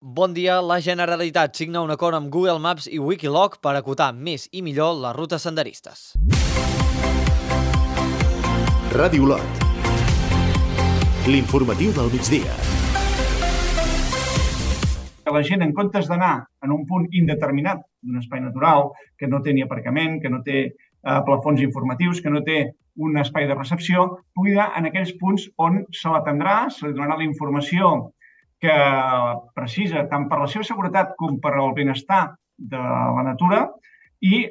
Bon dia, la Generalitat signa un acord amb Google Maps i Wikiloc per acotar més i millor les rutes senderistes. Ràdio Lot. L'informatiu del migdia. Que la gent, en comptes d'anar en un punt indeterminat d'un espai natural, que no té ni aparcament, que no té plafons informatius, que no té un espai de recepció, pugui anar en aquells punts on se l'atendrà, se li donarà la informació que precisa tant per la seva seguretat com per al benestar de la natura i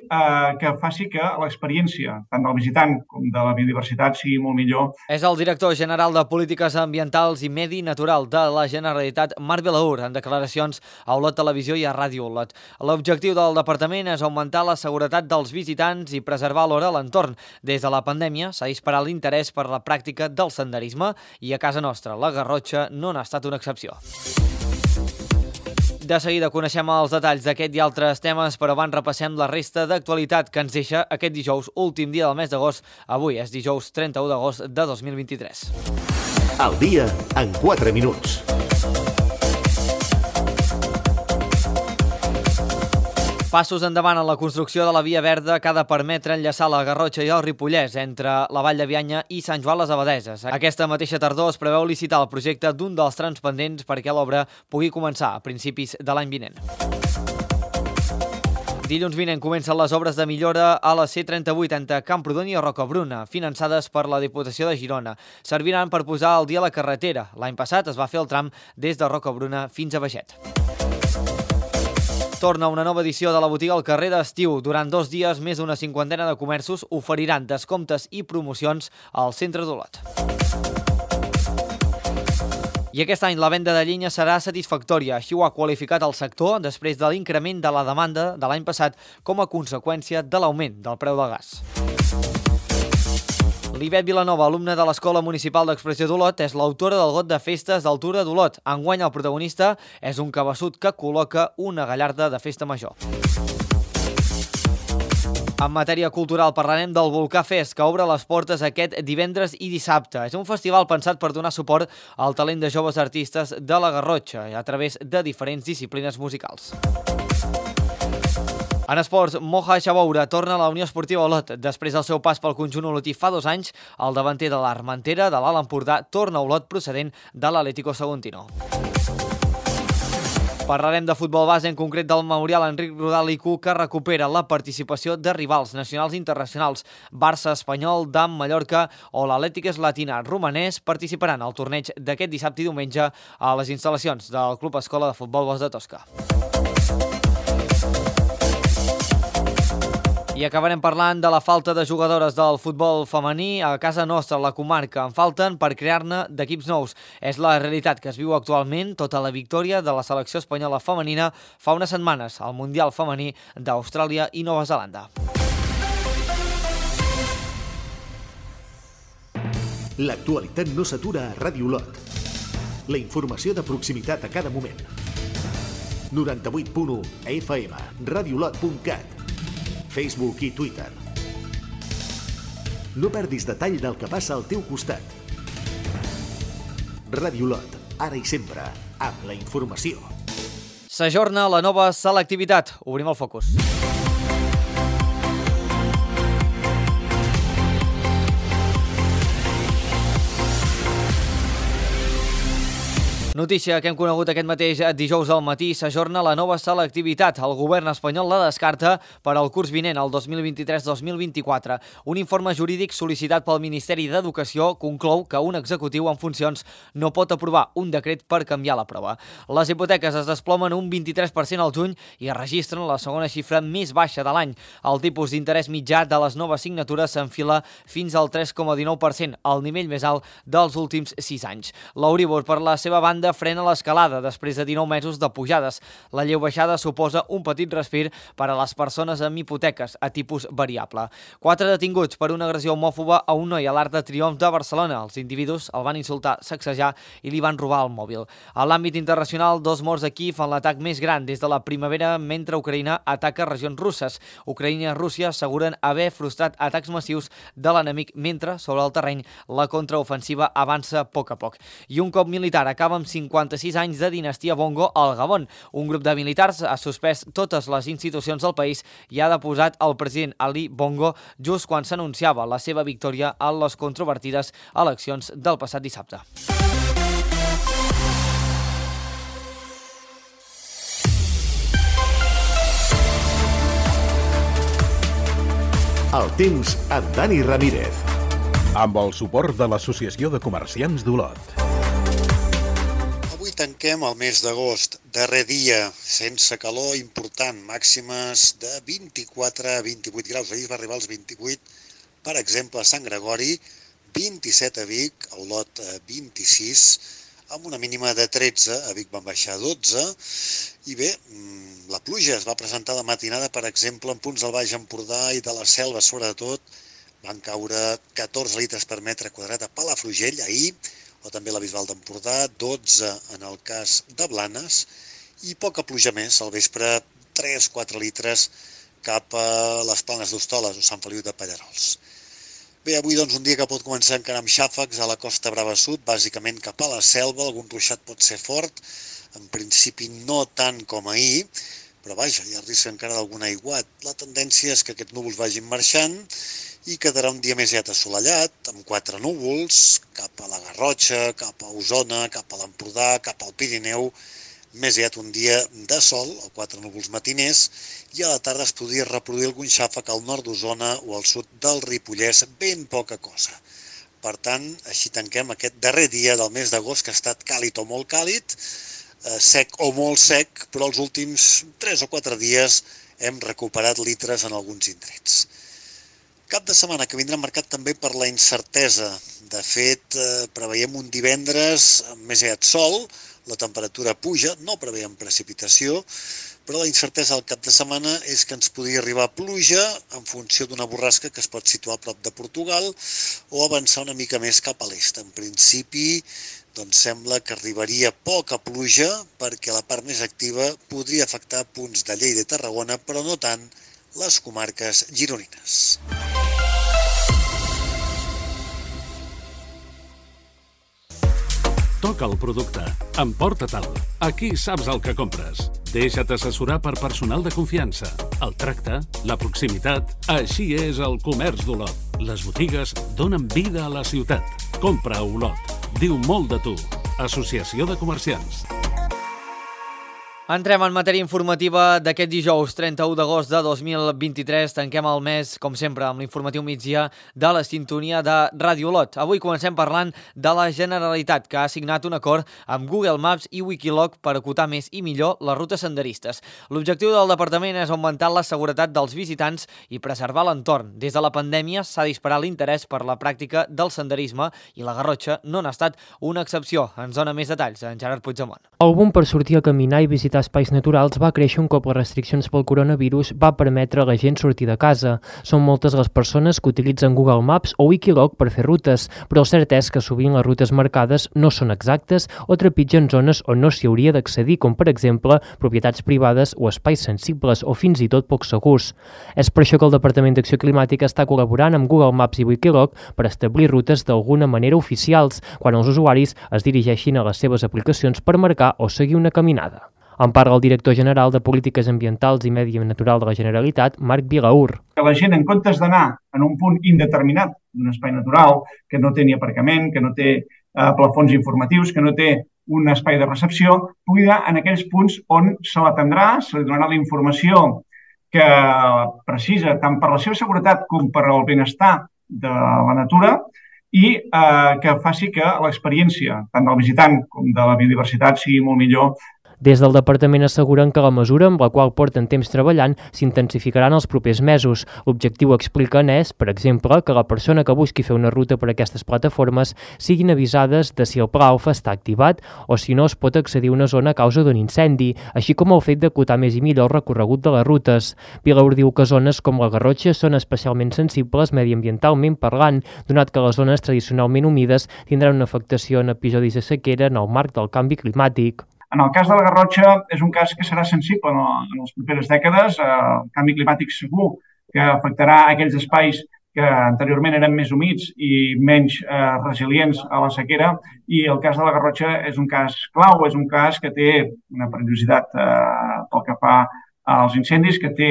que faci que l'experiència tant del visitant com de la biodiversitat sigui molt millor. És el director general de Polítiques Ambientals i Medi Natural de la Generalitat, Marc Vilaür, en declaracions a Olot Televisió i a Ràdio Olot. L'objectiu del departament és augmentar la seguretat dels visitants i preservar alhora l'entorn. Des de la pandèmia s'ha disparat l'interès per la pràctica del senderisme i a casa nostra, la Garrotxa, no n'ha estat una excepció. De seguida coneixem els detalls d'aquest i altres temes, però abans repassem la resta d'actualitat que ens deixa aquest dijous, últim dia del mes d'agost. Avui és dijous 31 d'agost de 2023. El dia en 4 minuts. Passos endavant en la construcció de la Via Verda que ha de permetre enllaçar la Garrotxa i el Ripollès entre la Vall de Bianya i Sant Joan les Abadeses. Aquesta mateixa tardor es preveu licitar el projecte d'un dels trams pendents perquè l'obra pugui començar a principis de l'any vinent. Dilluns vinent comencen les obres de millora a la C38 entre Camprodon i Rocabruna, finançades per la Diputació de Girona. Serviran per posar al dia la carretera. L'any passat es va fer el tram des de Rocabruna fins a Baget. Torna una nova edició de la botiga al carrer d'estiu. Durant 2 dies, més d'una cinquantena de comerços oferiran descomptes i promocions al centre d'Olot. I aquest any la venda de llenya serà satisfactòria. Així ho ha qualificat el sector després de l'increment de la demanda de l'any passat com a conseqüència de l'augment del preu del gas. L'Ivet Vilanova, alumna de l'Escola Municipal d'Expressió d'Olot, és l'autora del got de festes d'Altura d'Olot. Enguany el protagonista és un cabeçut que col·loca una gallarda de festa major. En matèria cultural parlarem del Volcà Fest, que obre les portes aquest divendres i dissabte. És un festival pensat per donar suport al talent de joves artistes de la Garrotxa a través de diferents disciplines musicals. En esports, Moja Xaboura torna a la Unió Esportiva Olot. Després del seu pas pel conjunt olotí fa 2 anys, el davanter de l'Armentera de l'Alt Empordà torna a Olot procedent de l'Atlético Saguntino. Parlarem de futbol base, en concret del Memorial Enric Rodal IQ, que recupera la participació de rivals nacionals i internacionals. Barça, Espanyol, DAM, Mallorca o l'Atlètic Latina romanès participaran al torneig d'aquest dissabte i diumenge a les instal·lacions del Club Escola de Futbol Bosc de Tosca. I acabarem parlant de la falta de jugadores del futbol femení a casa nostra, a la comarca. En falten per crear-ne d'equips nous. És la realitat que es viu actualment tota la victòria de la selecció espanyola femenina fa unes setmanes al Mundial Femení d'Austràlia i Nova Zelanda. L'actualitat no s'atura a Ràdio Lot. La informació de proximitat a cada moment. 98.1 FM, radiolot.cat, Facebook i Twitter. No perdis detall del que passa al teu costat. Ràdio Lot, ara i sempre, amb la informació. S'ajorna la nova selectivitat. Obrim el focus. Notícia que hem conegut aquest mateix dijous al matí, s'ajorna la nova selectivitat. El govern espanyol la descarta per al curs vinent, el 2023-2024. Un informe jurídic sol·licitat pel Ministeri d'Educació conclou que un executiu en funcions no pot aprovar un decret per canviar la prova. Les hipoteques es desplomen un 23% al juny i registren la segona xifra més baixa de l'any. El tipus d'interès mitjà de les noves signatures s'enfila fins al 3,19%, el nivell més alt dels últims 6 anys. L'Euribor, per la seva banda, frena l'escalada després de 19 mesos de pujades. La lleu baixada suposa un petit respir per a les persones amb hipoteques a tipus variable. 4 detinguts per una agressió homòfoba a un noi a l'Arc de Triomf de Barcelona. Els individus el van insultar, sacsejar i li van robar el mòbil. A l'àmbit internacional, 2 morts a Kíev en l'atac més gran des de la primavera mentre Ucraïna ataca regions russes. Ucraïna i Rússia asseguren haver frustrat atacs massius de l'enemic mentre, sobre el terreny, la contraofensiva avança a poc. I un cop militar acaba amb 56 anys de dinastia Bongo al Gabon. Un grup de militars ha suspès totes les institucions del país i ha deposat el president Ali Bongo just quan s'anunciava la seva victòria a les controvertides eleccions del passat dissabte. El temps amb Dani Ramírez. Amb el suport de l'Associació de Comerciants d'Olot. Avui tanquem el mes d'agost, darrer dia, sense calor important, màximes de 24 a 28 graus. Ahir va arribar als 28, per exemple, a Sant Gregori, 27 a Vic, a Olot 26, amb una mínima de 13, a Vic van baixar a 12, i bé, la pluja es va presentar de matinada, per exemple, en punts del Baix Empordà i de la Selva, sobretot, van caure 14 litres per metre quadrat a Palafrugell ahir, o també a la Bisbal d'Empordà, 12 en el cas de Blanes, i poca pluja més, al vespre 3-4 litres cap a les Planes d'Hostoles o Sant Feliu de Pallerols. Bé, avui doncs un dia que pot començar encara amb xàfecs a la Costa Brava Sud, bàsicament cap a la Selva, algun ruixat pot ser fort, en principi no tant com ahir, però vaja, hi ha risc encara d'algun aiguat. La tendència és que aquests núvols vagin marxant i quedarà un dia més aviat assolellat, amb 4 núvols, cap a la Garrotxa, cap a Osona, cap a l'Empordà, cap al Pirineu, més aviat un dia de sol, o 4 núvols matiners, i a la tarda es podria reproduir algun xàfec al nord d'Osona o al sud del Ripollès, ben poca cosa. Per tant, així tanquem aquest darrer dia del mes d'agost, que ha estat càlid o molt càlid, sec o molt sec, però els últims 3 o 4 dies hem recuperat litres en alguns indrets. Cap de setmana que vindrà marcat també per la incertesa. De fet, preveiem un divendres amb més aviat sol, la temperatura puja, no preveiem precipitació, però la incertesa al cap de setmana és que ens podria arribar pluja en funció d'una borrasca que es pot situar a prop de Portugal o avançar una mica més cap a l'est. En principi, doncs sembla que arribaria poca pluja perquè la part més activa podria afectar punts de Lleida i Tarragona, però no tant les comarques gironines. Toca el producte, emporta-te'l. Aquí saps el que compres. Deixa't assessorar per personal de confiança. El tracte, la proximitat, així és el comerç d'Olot. Les botigues donen vida a la ciutat. Compra a Olot. Diu molt de tu. Associació de Comerciants. Entrem en matèria informativa d'aquest dijous 31 d'agost de 2023. Tanquem el mes, com sempre, amb l'informatiu migdia de la sintonia de Ràdio Olot. Avui comencem parlant de la Generalitat, que ha signat un acord amb Google Maps i Wikiloc per acotar més i millor les rutes senderistes. L'objectiu del departament és augmentar la seguretat dels visitants i preservar l'entorn. Des de la pandèmia s'ha disparat l'interès per la pràctica del senderisme i la Garrotxa no n'ha estat una excepció. Ens dona més detalls en Gerard Puigdemont. El boom per sortir a caminar i visitar espais naturals va créixer un cop les restriccions pel coronavirus va permetre a la gent sortir de casa. Són moltes les persones que utilitzen Google Maps o Wikiloc per fer rutes, però el cert és que sovint les rutes marcades no són exactes o trepitgen zones on no s'hi hauria d'accedir, com per exemple propietats privades o espais sensibles o fins i tot poc segurs. És per això que el Departament d'Acció Climàtica està col·laborant amb Google Maps i Wikiloc per establir rutes d'alguna manera oficials quan els usuaris es dirigeixin a les seves aplicacions per marcar o seguir una caminada. En parla el director general de Polítiques Ambientals i Medi Natural de la Generalitat, Marc Vilaur. Que la gent, en comptes d'anar en un punt indeterminat d'un espai natural, que no té ni aparcament, que no té plafons informatius, que no té un espai de recepció, pugui anar en aquells punts on se l'atendrà, se li donarà la informació que precisa tant per la seva seguretat com per al benestar de la natura i que faci que l'experiència tant del visitant com de la biodiversitat sigui molt millor. Des del departament asseguren que la mesura amb la qual porten temps treballant s'intensificaran els propers mesos. L'objectiu, expliquen, és, per exemple, que la persona que busqui fer una ruta per aquestes plataformes siguin avisades de si el pla alfa està activat o si no es pot accedir a una zona a causa d'un incendi, així com el fet d'acotar més i millor el recorregut de les rutes. Vilaur diu que zones com la Garrotxa són especialment sensibles mediambientalment parlant, donat que les zones tradicionalment humides tindran una afectació en episodis de sequera en el marc del canvi climàtic. En el cas de la Garrotxa és un cas que serà sensible en les properes dècades. El canvi climàtic segur que afectarà aquells espais que anteriorment eren més humits i menys resilients a la sequera, i el cas de la Garrotxa és un cas clau, és un cas que té una perillositat pel que fa als incendis, que té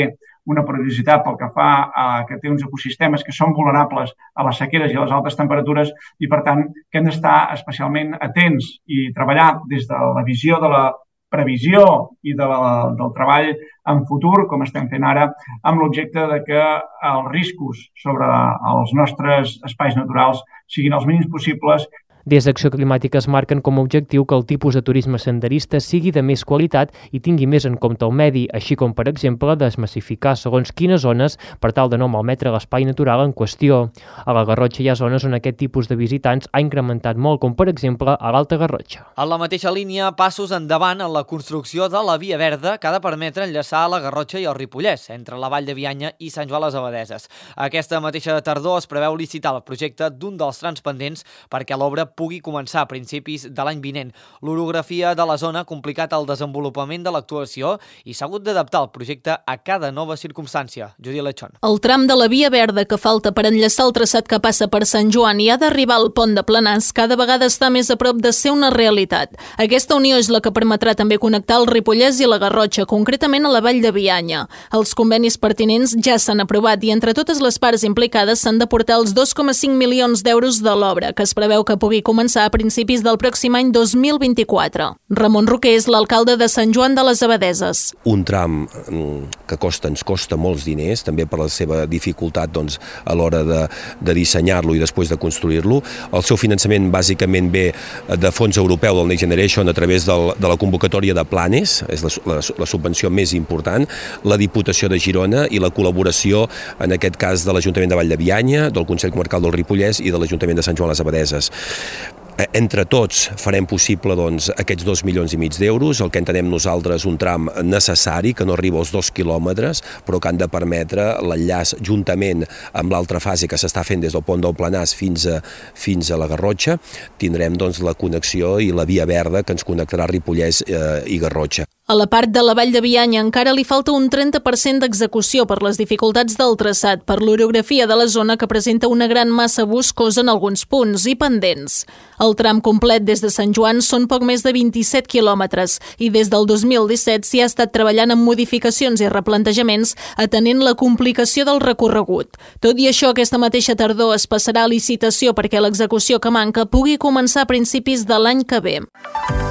una perillositat pel que fa a que té uns ecosistemes que són vulnerables a les sequeres i a les altes temperatures, i per tant que hem d'estar especialment atents i treballar des de la visió de la previsió i del treball en futur, com estem fent ara, amb l'objecte de que els riscos sobre els nostres espais naturals siguin els mínims possibles. Des d'Acció Climàtica es marquen com a objectiu que el tipus de turisme senderista sigui de més qualitat i tingui més en compte el medi, així com, per exemple, desmassificar segons quines zones per tal de no malmetre l'espai natural en qüestió. A la Garrotxa hi ha zones on aquest tipus de visitants ha incrementat molt, com per exemple a l'Alta Garrotxa. En la mateixa línia, passos endavant en la construcció de la Via Verda que ha de permetre enllaçar la Garrotxa i el Ripollès, entre la Vall de Bianya i Sant Joan les Abadeses. Aquesta mateixa tardor es preveu licitar el projecte d'un dels trams pendents perquè l'obra pugui començar a principis de l'any vinent. L'orografia de la zona ha complicat el desenvolupament de l'actuació i s'ha hagut d'adaptar el projecte a cada nova circumstància. Judit Lechón. El tram de la Via Verda que falta per enllaçar el traçat que passa per Sant Joan i ha d'arribar al pont de Planars cada vegada està més a prop de ser una realitat. Aquesta unió és la que permetrà també connectar el Ripollès i la Garrotxa, concretament a la Vall de Bianya. Els convenis pertinents ja s'han aprovat i entre totes les parts implicades s'han de portar els 2,5 milions d'euros de l'obra, que es preveu que pugui començar a principis del pròxim any 2024. Ramon Roquer és l'alcalde de Sant Joan de les Abadeses. Un tram que ens costa molts diners, també per la seva dificultat a l'hora de dissenyar-lo i després de construir-lo. El seu finançament bàsicament ve de fons europeu del Next Generation a través de la convocatòria de Planes, és la subvenció més important, la Diputació de Girona i la col·laboració, en aquest cas, de l'Ajuntament de Vall de Bianya, del Consell Comarcal del Ripollès i de l'Ajuntament de Sant Joan les Abadeses. Entre tots farem possible aquests 2,5 milions d'euros, el que entenem nosaltres un tram necessari, que no arriba als 2 quilòmetres, però que han de permetre l'enllaç juntament amb l'altra fase que s'està fent des del pont del Planars fins a la Garrotxa. Tindrem la connexió i la Via Verda que ens connectarà Ripollès i Garrotxa. A la part de la Vall de Bianya encara li falta un 30% d'execució per les dificultats del traçat, per l'orografia de la zona que presenta una gran massa boscosa en alguns punts i pendents. El tram complet des de Sant Joan són poc més de 27 quilòmetres i des del 2017 s'hi ha estat treballant amb modificacions i replantejaments atenent la complicació del recorregut. Tot i això, aquesta mateixa tardor es passarà a licitació perquè l'execució que manca pugui començar a principis de l'any que ve.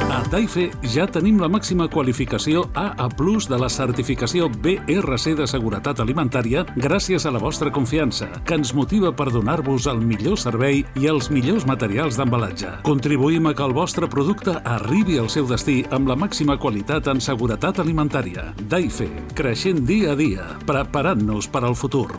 A Daife ja tenim la màxima qualificació AA+ de la certificació BRC de seguretat alimentària gràcies a la vostra confiança, que ens motiva per donar-vos el millor servei i els millors materials d'embalatge. Contribuïm a que el vostre producte arribi al seu destí amb la màxima qualitat en seguretat alimentària. Daife, creixent dia a dia, preparant-nos per al futur.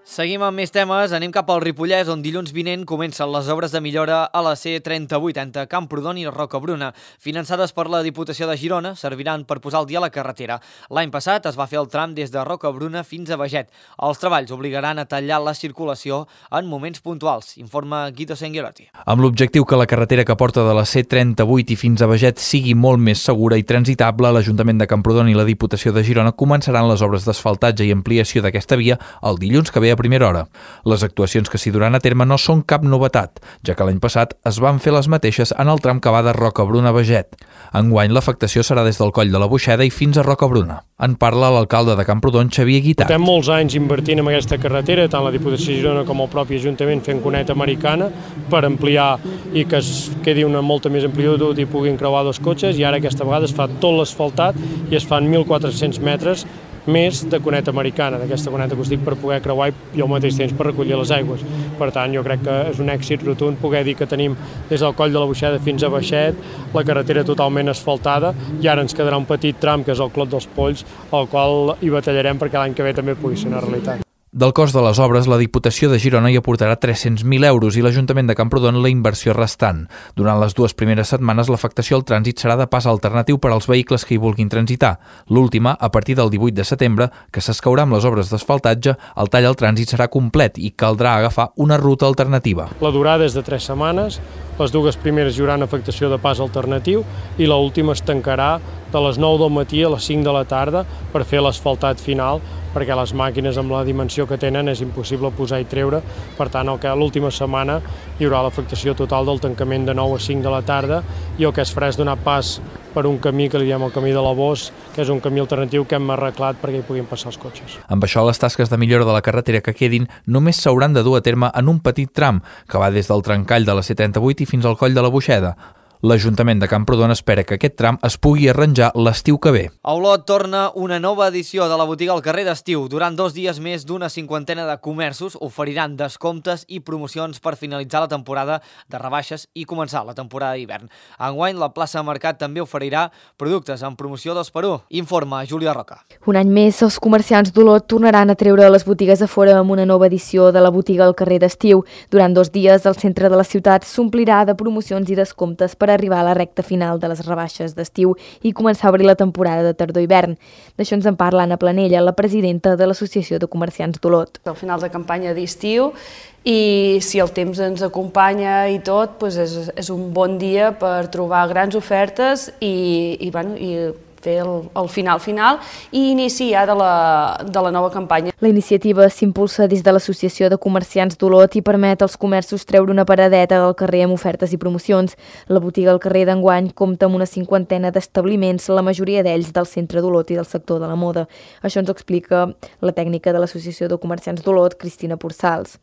Seguim amb més temes, anem cap al Ripollès, on dilluns vinent comencen les obres de millora a la C38 entre Camprodon i Rocabruna. Finançades per la Diputació de Girona, serviran per posar el dia a la carretera. L'any passat es va fer el tram des de Rocabruna fins a Beget. Els treballs obligaran a tallar la circulació en moments puntuals, informa Guido Senguerotti. Amb l'objectiu que la carretera que porta de la C38 i fins a Beget sigui molt més segura i transitable, l'Ajuntament de Camprodon i la Diputació de Girona començaran les obres d'asfaltatge i ampliació d'aquesta via el dilluns que ve a primera hora. Les actuacions que s'hi duran a terme no són cap novetat, ja que l'any passat es van fer les mateixes en el tram que va de Rocabruna a Beget. Enguany l'afectació serà des del Coll de la Boixeda i fins a Rocabruna. En parla l'alcalde de Camprodon, Xavier Guitart. Portem molts anys invertint en aquesta carretera, tant la Diputació de Girona com el propi Ajuntament fent cuneta americana per ampliar i que es quedi una molta més amplitud i puguin creuar dos cotxes, i ara aquesta vegada es fa tot l'asfaltat i es fan 1.400 metres més de cuneta americana, d'aquesta cuneta acústica per poder creuar i al mateix temps per recollir les aigües. Per tant, jo crec que és un èxit rotund poder dir que tenim des del Coll de la Boixeda fins a Beget la carretera totalment asfaltada, i ara ens quedarà un petit tram que és el Clot dels Polls, al qual hi batallarem perquè l'any que ve també pugui ser una realitat. Del cost de les obres, la Diputació de Girona hi aportarà 300.000 euros i l'Ajuntament de Camprodon la inversió restant. Durant les 2 primeres setmanes, l'afectació al trànsit serà de pas alternatiu per als vehicles que hi vulguin transitar. L'última, a partir del 18 de setembre, que s'escaurà amb les obres d'asfaltatge, el tall al trànsit serà complet i caldrà agafar una ruta alternativa. La durada és de 3 setmanes, les 2 primeres hi haurà afectació de pas alternatiu i l'última es tancarà de les 9 del matí a les 5 de la tarda per fer l'asfaltat final perquè les màquines amb la dimensió que tenen és impossible posar i treure. Per tant, l'última setmana hi haurà l'afectació total del tancament de 9 a 5 de la tarda i el que es farà és donar pas per un camí que li diem el camí de la Bos, que és un camí alternatiu que hem arreglat perquè hi puguin passar els cotxes. Amb això, les tasques de millora de la carretera que quedin només s'hauran de dur a terme en un petit tram que va des del trencall de la C38 i fins al coll de la Boixeda. L'Ajuntament de Camprodon espera que aquest tram es pugui arranjar l'estiu que ve. A Olot torna una nova edició de la botiga al carrer d'estiu. Durant 2 dies més d'una cinquantena de comerços oferiran descomptes i promocions per finalitzar la temporada de rebaixes i començar la temporada d'hivern. Enguany, la plaça de Mercat també oferirà productes en promoció 2x1. Informa Júlia Roca. Un any més, els comerciants d'Olot tornaran a treure les botigues a fora amb una nova edició de la botiga al carrer d'estiu. Durant 2 dies, el centre de la ciutat s'omplirà de promocions i descomptes per arribar a la recta final de les rebaixes d'estiu i començar a obrir la temporada de tardor-hivern. D'això ens en parla Anna Planella, la presidenta de l'Associació de Comerciants d'Olot. Al final de campanya d'estiu i si el temps ens acompanya i tot, és un bon dia per trobar grans ofertes i fer el final i inici ja de la nova campanya. La iniciativa s'impulsa des de l'Associació de Comerciants d'Olot i permet als comerços treure una paradeta al carrer amb ofertes i promocions. La botiga al carrer d'enguany compta amb una cinquantena d'establiments, la majoria d'ells del centre d'Olot i del sector de la moda. Això ens ho explica la tècnica de l'Associació de Comerciants d'Olot, Cristina Porçals.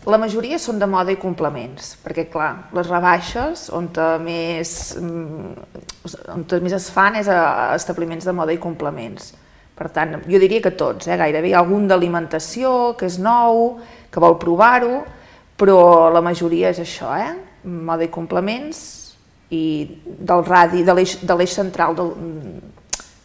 La majoria són de moda i complements, perquè clar, les rebaixes on més es fan és a establiments de moda i complements. Per tant, jo diria que tots, gairebé hi ha algun d'alimentació que és nou, que vol provar-ho, però la majoria és això, moda i complements i del radi, de l'eix central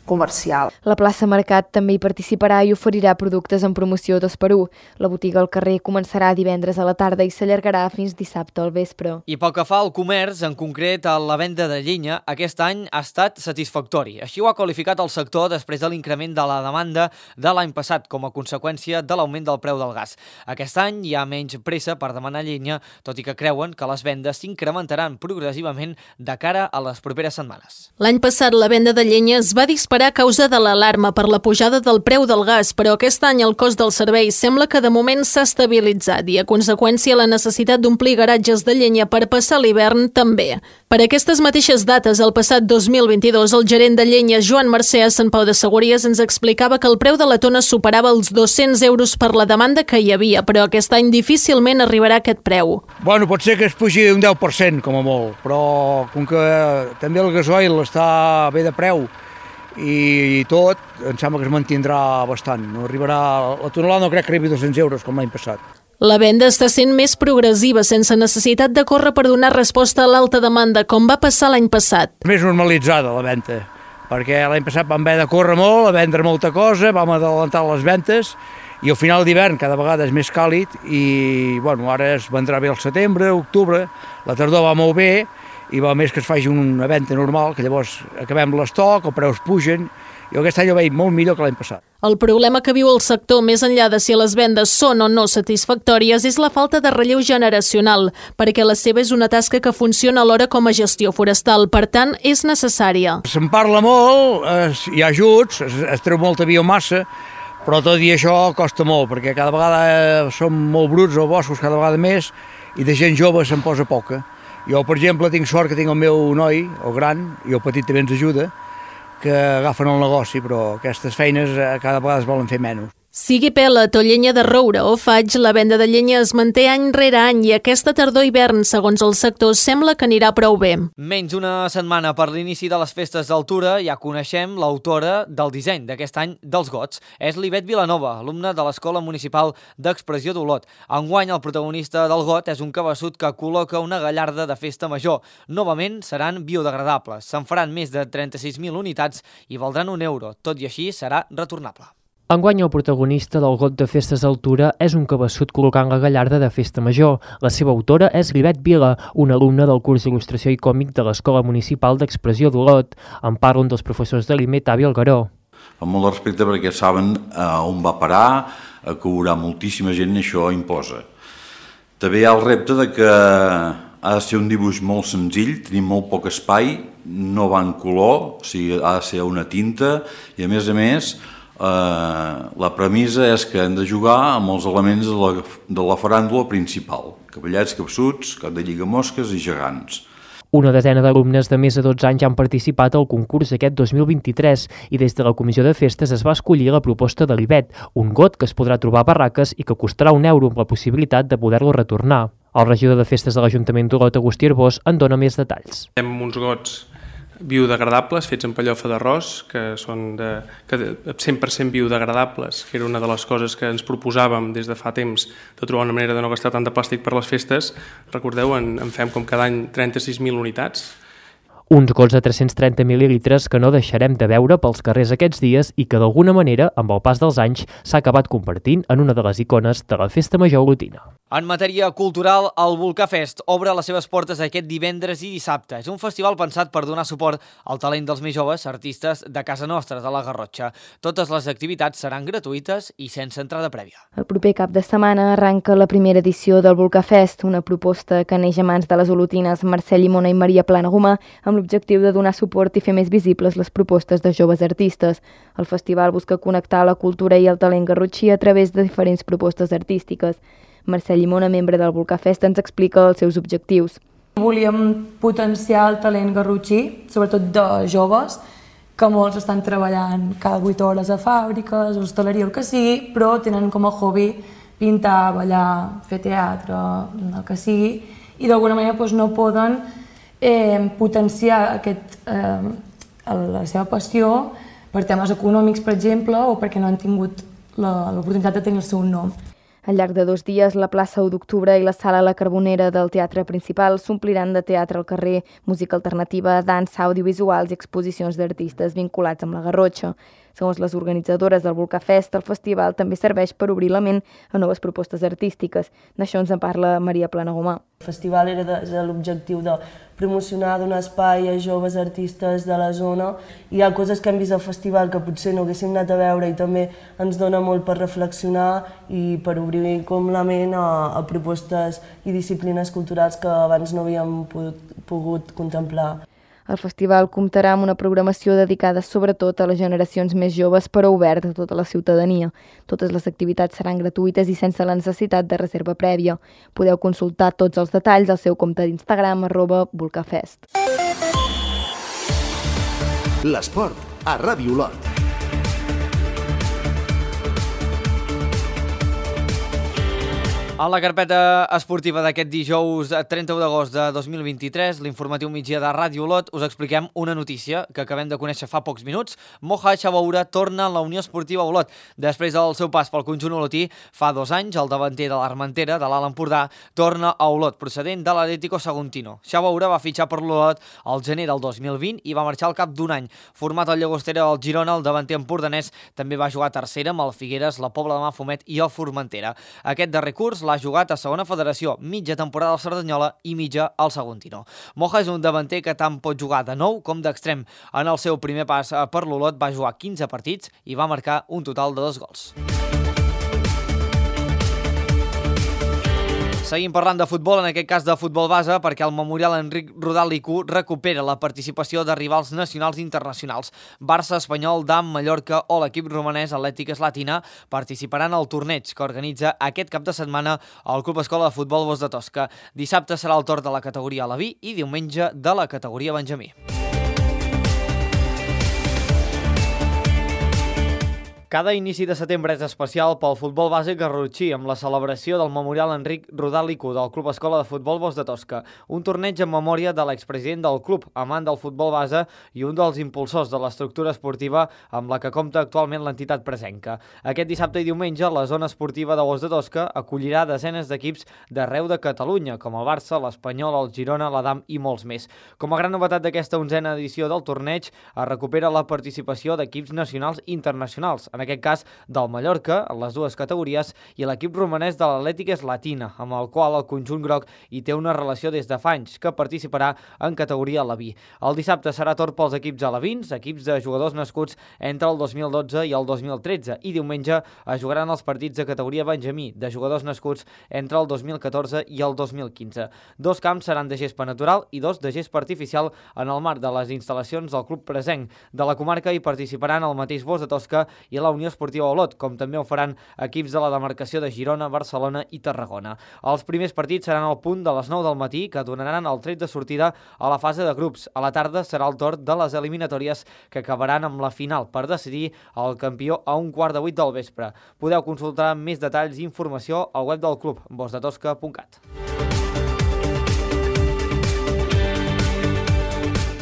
comercial. La plaça Mercat també hi participarà i oferirà productes en promoció 2x1. La botiga al carrer començarà divendres a la tarda i s'allargarà fins dissabte al vespre. I pel que fa al comerç, en concret a la venda de llenya, aquest any ha estat satisfactori. Així ho ha qualificat el sector després de l'increment de la demanda de l'any passat com a conseqüència de l'augment del preu del gas. Aquest any hi ha menys pressa per demanar llenya, tot i que creuen que les vendes s'incrementaran progressivament de cara a les properes setmanes. L'any passat la venda de llenya es va disparar a causa de l'alarma per la pujada del preu del gas, però aquest any el cost del servei sembla que de moment s'ha estabilitzat i, a conseqüència, la necessitat d'omplir garatges de llenya per passar l'hivern també. Per aquestes mateixes dates, el passat 2022, el gerent de llenya Joan Mercè a Sant Pau de Segúries ens explicava que el preu de la tona superava els 200 euros per la demanda que hi havia, però aquest any difícilment arribarà a aquest preu. Bueno, pot ser que es pugi un 10%, com a molt, però com que també el gasoil està bé de preu i tot, em sembla que es mantindrà bastant. No arribarà, la tonelada no crec que arribi 200 euros com l'any passat. La venda està sent més progressiva, sense necessitat de córrer per donar resposta a l'alta demanda, com va passar l'any passat. Més normalitzada la venda, perquè l'any passat vam haver de córrer molt, a vendre molta cosa, vam adelantar les ventes i al final d'hivern cada vegada és més càlid i bueno, ara es vendrà bé al setembre, octubre, la tardor va molt bé i va més que es faci una venda normal, que llavors acabem l'estoc, els preus pugen, i aquest any ho veig molt millor que l'any passat. El problema que viu el sector, més enllà de si les vendes són o no satisfactòries, és la falta de relleu generacional, perquè la seva és una tasca que funciona alhora com a gestió forestal, per tant, és necessària. Se'n parla molt, hi ha ajuts, es treu molta biomassa, però tot i això costa molt, perquè cada vegada som molt bruts als boscos, cada vegada més, i de gent jove se'n posa poca. Jo, per exemple, tinc sort que tinc el meu noi, el gran, i el petit també ens ajuda, que agafen el negoci, però aquestes feines cada vegada es volen fer menys. Sigui pellet o llenya de roure o faig, la venda de llenya es manté any rere any i aquesta tardor-hivern, segons el sector, sembla que anirà prou bé. Menys una setmana per l'inici de les festes d'altura, ja coneixem l'autora del disseny d'aquest any dels gots. És l'Ivet Vilanova, alumna de l'Escola Municipal d'Expressió d'Olot. Enguany, el protagonista del got és un cabeçut que col·loca una gallarda de festa major. Novament seran biodegradables. Se'n faran més de 36.000 unitats i valdran €1. Tot i així, serà retornable. Enguany el protagonista del got de festes d'altura és un cabeçut col·locant la gallarda de festa major. La seva autora és l'Ivet Vila, una alumna del curs d'il·lustració i còmic de l'Escola Municipal d'Expressió d'Olot. En parla un dels professors de l'IME, Tavi Algaró. Amb molt de respecte perquè saben on va parar, que haurà moltíssima gent i això imposa. També hi ha el repte de que ha de ser un dibuix molt senzill, tenim molt poc espai, no va en color, o sigui, ha de ser una tinta i a més La premissa és que hem de jugar amb els elements de la faràndula principal, cavallets, capsuts, cap de lligamosques i gegants. Una desena d'alumnes de més de 12 anys han participat al concurs aquest 2023 i des de la Comissió de Festes es va escollir la proposta de l'Ivet, un got que es podrà trobar a barraques i que costarà €1 amb la possibilitat de poder-lo retornar. El regidor de Festes de l'Ajuntament d'Olot, Agustí Arbós, en dona més detalls. Tenim uns gots biodegradables fets amb pellofa d'arròs, que són 100% biodegradables, que era una de les coses que ens proposàvem des de fa temps, de trobar una manera de no gastar tant de plàstic per les festes. Recordeu, en fem com cada any 36.000 unitats. Uns gots de 330 mil·lilitres que no deixarem de veure pels carrers aquests dies i que d'alguna manera, amb el pas dels anys, s'ha acabat convertint en una de les icones de la Festa Major olotina. En matèria cultural, el Volcà Fest obre les seves portes aquest divendres i dissabte. És un festival pensat per donar suport al talent dels més joves artistes de casa nostra, de la Garrotxa. Totes les activitats seran gratuïtes i sense entrada prèvia. El proper cap de setmana arranca la primera edició del Volcà Fest, una proposta que neix a mans de les olotines Mercè Llimona i Maria Planagumà, amb l'objectiu de donar suport i fer més visibles les propostes de joves artistes. El festival busca connectar la cultura i el talent garrotxí a través de diferents propostes artístiques. Mercè Llimona, membre del Volcà Fest, ens explica els seus objectius. Volíem potenciar el talent garrotxí, sobretot de joves, que molts estan treballant cada 8 hores a fàbriques, hostaleria, el que sigui, però tenen com a hobby pintar, ballar, fer teatre, el que sigui, i d'alguna manera no poden potenciar la seva passió per temes econòmics, per exemple, o perquè no han tingut l'oportunitat de tenir el seu nom. Al llarg de 2 dies, la plaça 1 d'octubre i la sala La Carbonera del Teatre Principal s'ompliran de teatre al carrer, música alternativa, dansa, audiovisuals i exposicions d'artistes vinculats amb la Garrotxa. Segons les organitzadores del Volcà Fest, el festival també serveix per obrir la ment a noves propostes artístiques. D'això ens en parla Maria Planagumà. El festival era l'objectiu de promocionar, donar espai a joves artistes de la zona. Hi ha coses que hem vist al festival que potser no haguéssim anat a veure i també ens dona molt per reflexionar i per obrir com la ment a propostes i disciplines culturals que abans no havíem pogut contemplar. El festival comptarà amb una programació dedicada sobretot a les generacions més joves però oberta a tota la ciutadania. Totes les activitats seran gratuïtes i sense la necessitat de reserva prèvia. Podeu consultar tots els detalls al seu compte d'Instagram @volcafest. L'esport a Ràdio Olot. A la carpeta esportiva d'aquest dijous 31 d'agost de 2023, l'informatiu migdia de Ràdio Olot, us expliquem una notícia que acabem de conèixer fa pocs minuts. Moja Chabaura torna a la Unió Esportiva Olot. Després del seu pas pel conjunt olotí, fa 2 anys, el davanter de l'Armentera, de l'Alt Empordà, torna a Olot, procedent de l'Atlético Saguntino. Chabaura va fitxar per l'Olot al gener del 2020 i va marxar al cap d'un any. Format al Llagostera del Girona, el davanter empordanès també va jugar a tercera amb el Figueres, la Pobla de Mafumet i el Formentera. Aquest darrer curs l'ha jugat a segona federació, mitja temporada al Cerdanyola i mitja al Saguntino. Moja és un davanter que tant pot jugar de nou com d'extrem. En el seu primer pas per l'Olot va jugar 15 partits i va marcar un total de 2 gols. Seguim parlant de futbol, en aquest cas de futbol base, perquè el Memorial Enric Rodal Licú recupera la participació de rivals nacionals i internacionals. Barça, Espanyol, DAM, Mallorca o l'equip romanès Atlètic Slatina participaran al torneig que organitza aquest cap de setmana el Club Escola de Futbol Bosc de Tosca. Dissabte serà el torn de la categoria Aleví i diumenge de la categoria Benjamí. Cada inici de setembre és especial pel futbol base garrotxí amb la celebració del Memorial Enric Rodal Licú del Club Escola de Futbol Bosc de Tosca, un torneig en memòria de l'expresident del club, amant del futbol base i un dels impulsors de l'estructura esportiva amb la que compta actualment l'entitat presenca. Aquest dissabte i diumenge, la zona esportiva de Bosc de Tosca acollirà desenes d'equips d'arreu de Catalunya, com el Barça, l'Espanyol, el Girona, l'Adam i molts més. Com a gran novetat d'aquesta 11a edició del torneig, es recupera la participació d'equips nacionals i internacionals, en aquest cas del Mallorca, en les dues categories, i l'equip romanès de l'Atlètic Slatina, amb el qual el conjunt groc hi té una relació des de fa anys, que participarà en categoria aleví. El dissabte serà torn pels equips alevins, equips de jugadors nascuts entre el 2012 i el 2013, i diumenge es jugaran els partits de categoria Benjamí, de jugadors nascuts entre el 2014 i el 2015. 2 camps seran de gespa natural i 2 de gespa artificial en el marc de les instal·lacions del club presenc. De la comarca hi participaran el mateix Bosc de Tosca i la Unió Esportiva Olot, com també ho faran equips de la demarcació de Girona, Barcelona i Tarragona. Els primers partits seran al punt de les 9 del matí, que donaran el tret de sortida a la fase de grups. A la tarda serà el torn de les eliminatòries, que acabaran amb la final per decidir el campió a 7:15 del vespre. Podeu consultar més detalls i informació al web del club, bosdetosca.cat.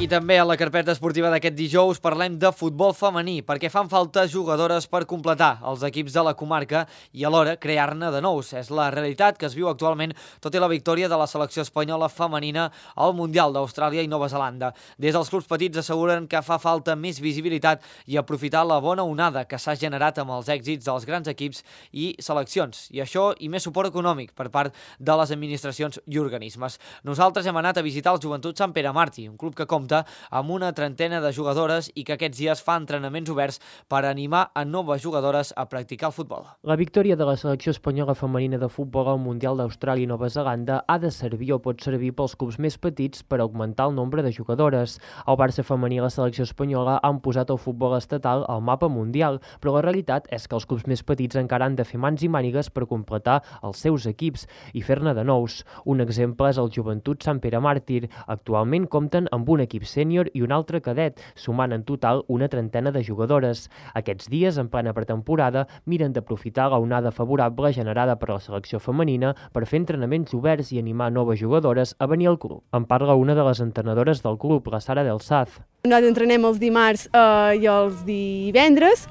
I també a la carpeta esportiva d'aquest dijous parlem de futbol femení, perquè fan falta jugadores per completar els equips de la comarca i alhora crear-ne de nous. És la realitat que es viu actualment, tot i la victòria de la selecció espanyola femenina al Mundial d'Austràlia i Nova Zelanda. Des dels clubs petits asseguren que fa falta més visibilitat i aprofitar la bona onada que s'ha generat amb els èxits dels grans equips i seleccions. I això i més suport econòmic per part de les administracions i organismes. Nosaltres hem anat a visitar el Joventut Sant Pere Màrtir, un club que compta amb una trentena de jugadores i que aquests dies fa entrenaments oberts per animar a noves jugadores a practicar el futbol. La victòria de la selecció espanyola femenina de futbol al Mundial d'Austràlia i Nova Zelanda ha de servir o pot servir pels clubs més petits per augmentar el nombre de jugadores. El Barça femení i la selecció espanyola han posat el futbol estatal al mapa mundial, però la realitat és que els clubs més petits encara han de fer mans i mànigues per completar els seus equips i fer-ne de nous. Un exemple és el Joventut Sant Pere Màrtir. Actualment compten amb un equip sènior i un altre cadet, sumant en total una trentena de jugadores. Aquests dies, en plena pretemporada, miren d'aprofitar la onada favorable generada per la selecció femenina per fer entrenaments oberts i animar noves jugadores a venir al club. En parla una de les entrenadores del club, la Sara Del Saz. Nosaltres entrenem els dimarts i els divendres.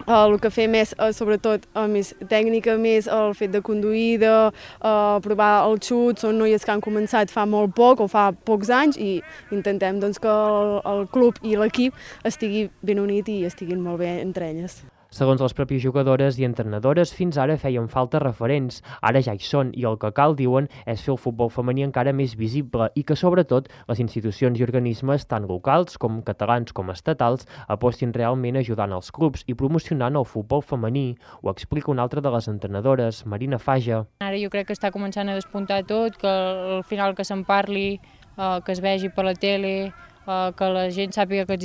El que fem és, sobretot, més tècnica, més el fet de conduir, de provar el xut. Són noies que han començat fa molt poc o fa pocs anys i intentem que el club i l'equip estigui ben unit i estiguin molt bé entre elles. Segons les pròpies jugadores i entrenadores, fins ara feien falta referents. Ara ja hi són i el que cal, diuen, és fer el futbol femení encara més visible i que, sobretot, les institucions i organismes, tant locals com catalans com estatals, apostin realment ajudant els clubs i promocionant el futbol femení. Ho explica una altra de les entrenadores, Marina Faja. Ara jo crec que està començant a despuntar tot, que al final que se'n parli, que es vegi per la tele, que la gent sàpiga que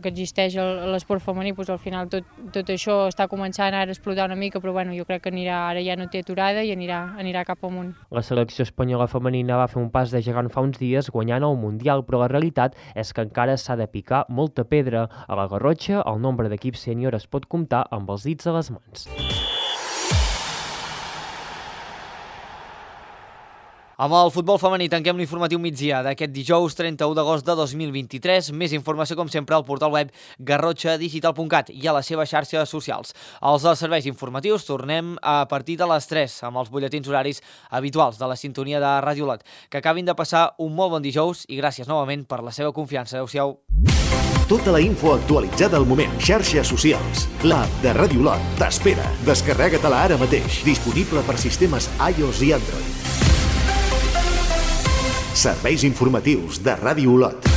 existeix l'esport femení, doncs al final tot això està començant ara a explotar una mica, però bueno, jo crec que ara ja no té aturada i anirà cap amunt. La selecció espanyola femenina va fer un pas de gegant fa uns dies guanyant el Mundial, però la realitat és que encara s'ha de picar molta pedra. A la Garrotxa, el nombre d'equips sènior es pot comptar amb els dits a les mans. Amb el futbol femení tanquem l'informatiu migdia d'aquest dijous 31 d'agost de 2023. Més informació, com sempre, al portal web garrotxadigital.cat i a les seves xarxes socials. Els dels serveis informatius tornem a partir de les 3 amb els butlletins horaris habituals de la sintonia de Ràdio Olot. Que acabin de passar un molt bon dijous i gràcies novament per la seva confiança. Adéu-siau. Tota la info actualitzada al moment. Xarxes socials. L'app de Ràdio Olot t'espera. Descarrega-te-la ara mateix. Disponible per sistemes iOS i Android. Serveis informatius de Ràdio Olot.